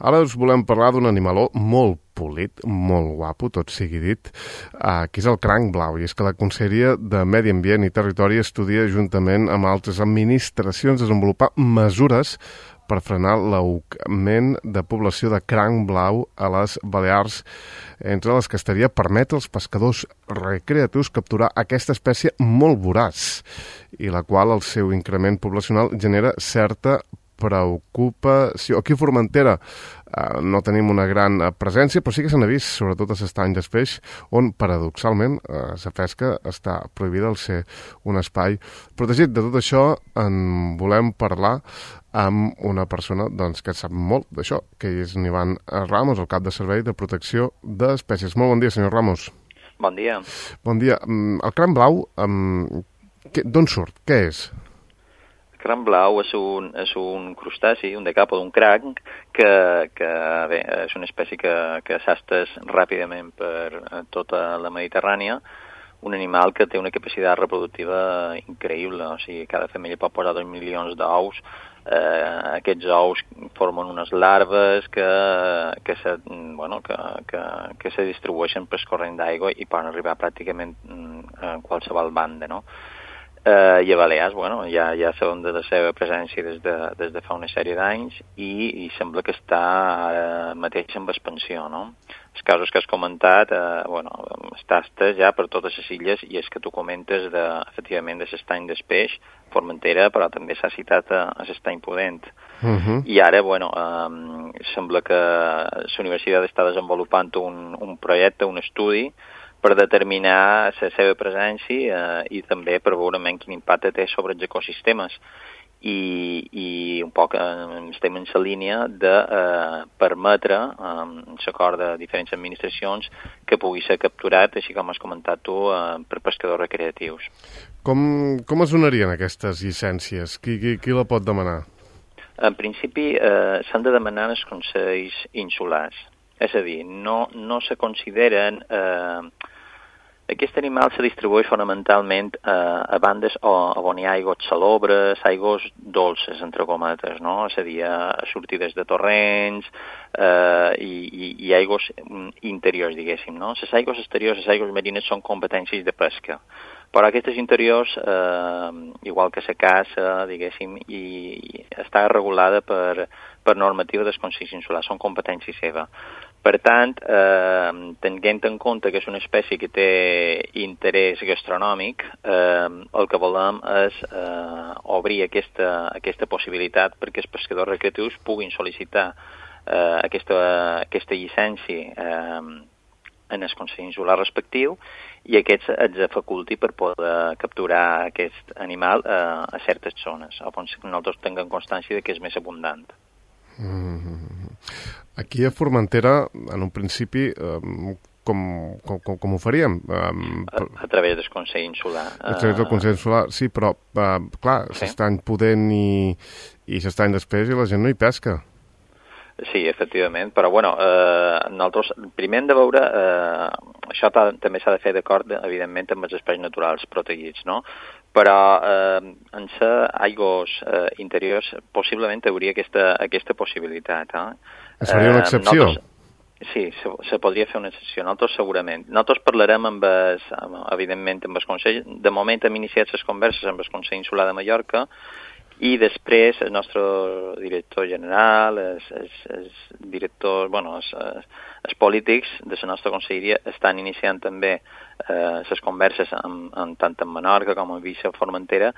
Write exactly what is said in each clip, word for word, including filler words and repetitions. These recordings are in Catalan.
Ara us volem parlar d'un animaló molt polit, molt guapo, tot sigui dit, uh, que és el cranc blau. I és que la Conselleria de Medi Ambient i Territori estudia juntament amb altres administracions desenvolupar mesures per frenar l'augment de població de cranc blau a les Balears, entre les que estaria permetre als pescadors recreatius capturar aquesta espècie molt voraç i la qual el seu increment poblacional genera certa preocupació. Aquí a Formentera eh, no tenim una gran eh, presència, però sí que se n'ha vist, sobretot a s'estany d'espeix, on, paradoxalment, eh, la pesca està prohibida al ser un espai protegit. De tot això en volem parlar amb una persona doncs, que sap molt d'això, que és en Ivan Ramos, el cap de Servei de Protecció d'Espècies. Molt bon dia, senyor Ramos. Bon dia. Bon dia. El cranc blau, d'on surt? Què és? El cranc blau és un, és un crustaci, un decapo d'un cranc, que, que bé, és una espècie que, que s'ha estès ràpidament per tota la Mediterrània, un animal que té una capacitat reproductiva increïble, o sigui, cada femella pot posar dos milions d'ous, eh, aquests ous formen unes larves que, que, se, bueno, que, que, que se distribueixen per corrent d'aigua i poden arribar pràcticament a qualsevol banda, no? Eh, I a Balears, bueno, ja, ja sabem de la seva presència des de, des de fa una sèrie d'anys i, i sembla que està ara mateix en expansió, no? Els casos que has comentat, eh, bueno, està estès ja per totes les illes i és que tu comentes, de, efectivament, de l'estany d'Espeix, Formentera, però també s'ha citat a, a l'estany Pudent. Uh -huh. I ara, bueno, eh, sembla que la universitat està desenvolupant un, un projecte, un estudi, per determinar la seva presència eh, i també per veure quin impacte té sobre els ecosistemes. I, i un poc eh, estem en la línia de eh, permetre, amb eh, l'acord de diferents administracions, que pugui ser capturat, així com has comentat tu, eh, per pescadors recreatius. Com, com es donarien aquestes llicències? Qui, qui, qui la pot demanar? En principi eh, s'han de demanar els consells insulars. És a dir, no, no se consideren... Eh, aquest animal se distribueix fonamentalment eh, a bandes o, on hi ha aigües salobres, aigües dolces, entre cometes, no? És a dir, a sortides de torrents eh, i, i, i aigües interiors, diguéssim, no? Les aigües exteriors, les aigües marines, són competències de pesca. Però aquestes interiors, eh, igual que la caça, diguéssim, i, i està regulada per, per normativa dels consells insulars, són competència seva. Per tant, eh, tenint en compte que és una espècie que té interès gastronòmic, eh, el que volem és eh, obrir aquesta, aquesta possibilitat perquè els pescadors recreatius puguin sol·licitar eh, aquesta, aquesta llicència eh, en el Consell Insular respectiu i aquests els faculti per poder capturar aquest animal eh, a certes zones, on nosaltres tinguem constància de que és més abundant. Mm-hmm. Aquí a Formentera, en un principi, eh, com, com, com ho faríem? Um, a, a través del Consell Insular. A través del Consell Insular, sí, però, uh, clar, sí. S'estany Pudent i, i s'estany d'Espeix i la gent no hi pesca. Sí, efectivament, però bueno, eh, nosaltres primer hem de veure, eh, això també s'ha de fer d'acord, evidentment, amb els espais naturals protegits, no? Però eh, en ser aigües eh, interiors possiblement hi hauria aquesta, aquesta possibilitat. Eh? Seria una excepció? Eh, sí, se, se podria fer una excepció, nosaltres segurament. Nosaltres parlarem, amb es, amb, evidentment, amb el Consell. De moment hem iniciat les converses amb el Consell Insular de Mallorca i després el nostre director general, els, els, els directors, bueno, els, els polítics de la nostra conselleria estan iniciant també eh, les converses amb, amb, tant en Menorca com en Viça Formentera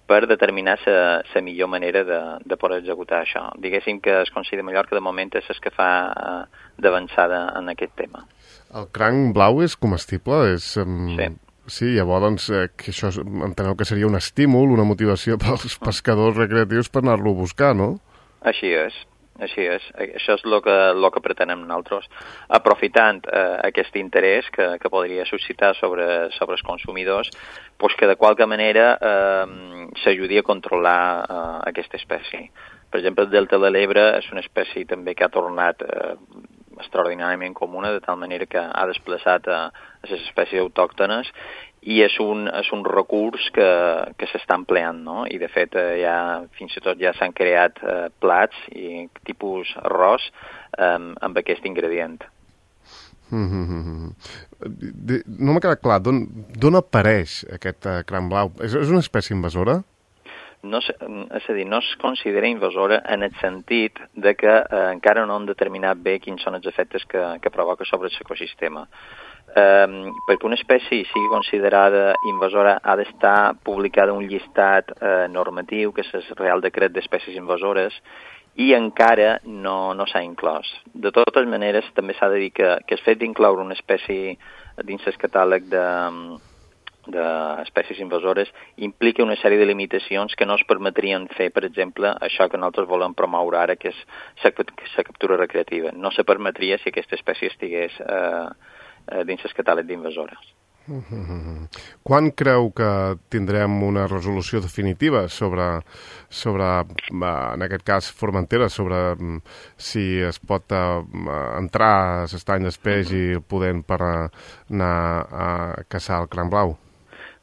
per determinar la millor manera de, de poder executar això. Diguéssim que el Consell de Mallorca de moment és el que fa eh, d'avançada en aquest tema. El cranc blau és comestible? És, um... Sí. Sí, llavors doncs, eh, que això enteneu que seria un estímul, una motivació pels pescadors recreatius per anar-lo a buscar, no? Així és, així és. Això és el que, lo que pretenem nosaltres, aprofitant eh, aquest interès que, que podria suscitar sobre, sobre els consumidors, pues que de qualque manera eh, s'ajudi a controlar eh, aquesta espècie. Per exemple, el delta de l'Ebre és una espècie també que ha tornat eh, extraordinàriament comuna, de tal manera que ha desplaçat a, a les espècies autòctones, i és un, és un recurs que, que s'està empleant, no? I de fet eh, ja, fins i tot ja s'han creat eh, plats i tipus arròs eh, amb aquest ingredient. Mm-hmm. No m'ha quedat clar, d'on apareix aquest uh, cranc blau? És, és una espècie invasora? No, és a dir, no es considera invasora en el sentit de que eh, encara no han determinat bé quins són els efectes que, que provoca sobre l'ecosistema. Eh, perquè una espècie sigui considerada invasora ha d'estar publicada un llistat eh, normatiu, que és el Real Decret d'Espècies Invasores, i encara no, no s'ha inclòs. De totes maneres, també s'ha de dir que, que el fet d'incloure una espècie dins el catàleg de, d'espècies invasores implica una sèrie de limitacions que no es permetrien fer, per exemple, això que nosaltres volem promoure ara, que és la captura recreativa. No se permetria si aquesta espècie estigués eh, dins el catàleg d'invasores. Mm-hmm. Quan creu que tindrem una resolució definitiva sobre, sobre en aquest cas, Formentera, sobre si es pot uh, entrar a l'estany d'espeix mm-hmm. i poder per anar a caçar el cranc blau?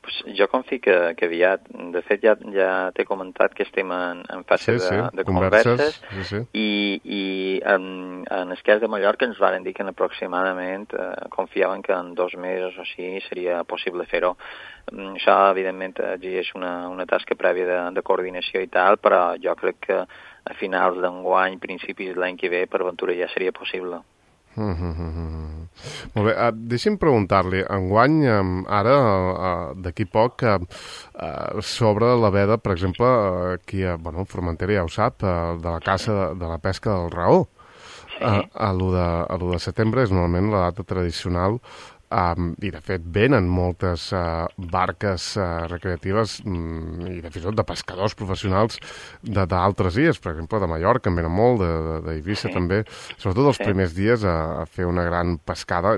Pues jo confio que, que aviat. De fet, ja, ja t'he comentat que estem en, en fase sí, sí. de, de converses, converses sí, sí. i, i en, en el cas de Mallorca ens van dir que aproximadament eh, confiaven que en dos mesos o així seria possible fer-ho. Això, evidentment, exigeix una, una tasca prèvia de, de coordinació i tal, però jo crec que a finals d'enguany, principis de l'any que ve, per ventura ja seria possible. Mm-hmm. Molt bé, uh, deixi'm preguntar-li, enguany, um, ara, uh, d'aquí poc, uh, uh, sobre la veda, per exemple, uh, aquí a bueno, Formentera ja ho sap, uh, de la caça, de, de la pesca del raó. Sí. Uh, a l'u de, de setembre és normalment la data tradicional. Um, I, de fet, venen moltes uh, barques uh, recreatives um, i, de fet, de pescadors professionals d'altres illes, per exemple, de Mallorca, en venen molt, d'Eivissa sí. també, sobretot els sí. primers dies a, a fer una gran pescada,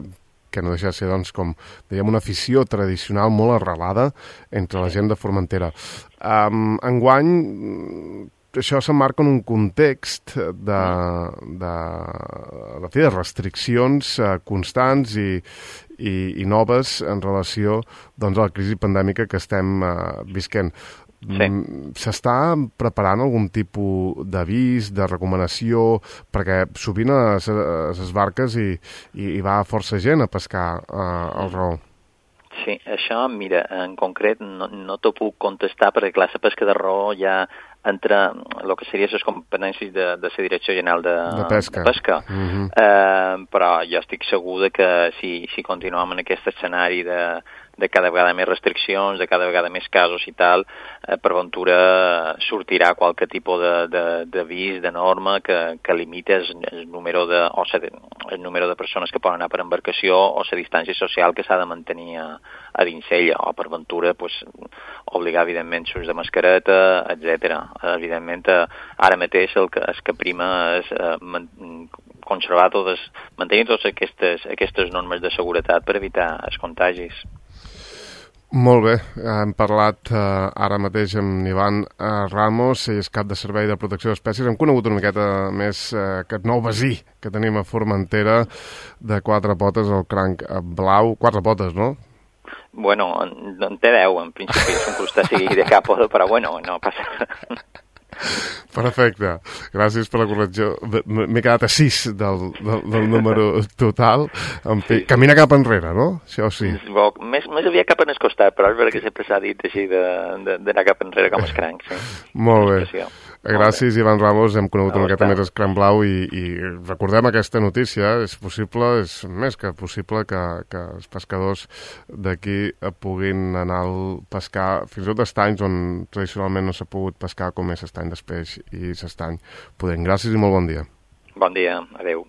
que no deixa de ser, doncs, com dèiem, una afició tradicional molt arrelada entre la gent de Formentera. Um, enguany, això s'emmarca en un context de, de, de, de restriccions uh, constants i, i, i noves en relació doncs, a la crisi pandèmica que estem uh, visquent. Sí. S'està preparant algun tipus d'avís, de recomanació, perquè sovint a les barques hi, hi va força gent a pescar uh, el raó. Sí, això, mira, en concret no, no t'ho puc contestar perquè, clar, la pesca de raó ja entra el que seria les competències de, de la Direcció General de, de Pesca, de pesca. Mm-hmm. eh, però jo estic segur de que si, si continuem en aquest escenari de, de cada vegada més restriccions, de cada vegada més casos i tal, eh, per ventura sortirà qualque tipus d'avís, de, de, de norma que, que limiti el, el, número de, o sea, el número de persones que poden anar per embarcació o la distància social que s'ha de mantenir a, a dins ella, o per ventura pues, obligar, evidentment, l'ús de mascareta, etcètera. Evidentment, eh, ara mateix el que, el que prima és eh, man, conservar totes, mantenir totes aquestes, aquestes normes de seguretat per evitar els contagis. Molt bé, hem parlat eh, ara mateix amb Ivan eh, Ramos, ell és cap de Servei de Protecció d'Espècies. Hem conegut una miqueta més eh, aquest nou vecí que tenim a Formentera de quatre potes, el cranc blau. Quatre potes, no? Bueno, en, en té deu, en principi és un crustaci de cap, però bueno, no passa res. Perfecte, gràcies per la correcció. M'he quedat a sis del, del, del número total. Sí. Camina cap enrere, no? Això sí. Bo, més, més aviat cap en el costat, però és veritat que sempre s'ha dit així d'anar cap enrere com els crancs. Sí. Molt bé. Gràcies, Ivan Ramos. Hem conegut una miqueta més el cranc blau i, i recordem aquesta notícia. És possible, és més que possible que, que els pescadors d'aquí puguin anar a pescar fins i tot estanys on tradicionalment no s'ha pogut pescar, com és estany d'espeix i s'estany pudent. Gràcies i molt bon dia. Bon dia, adeu.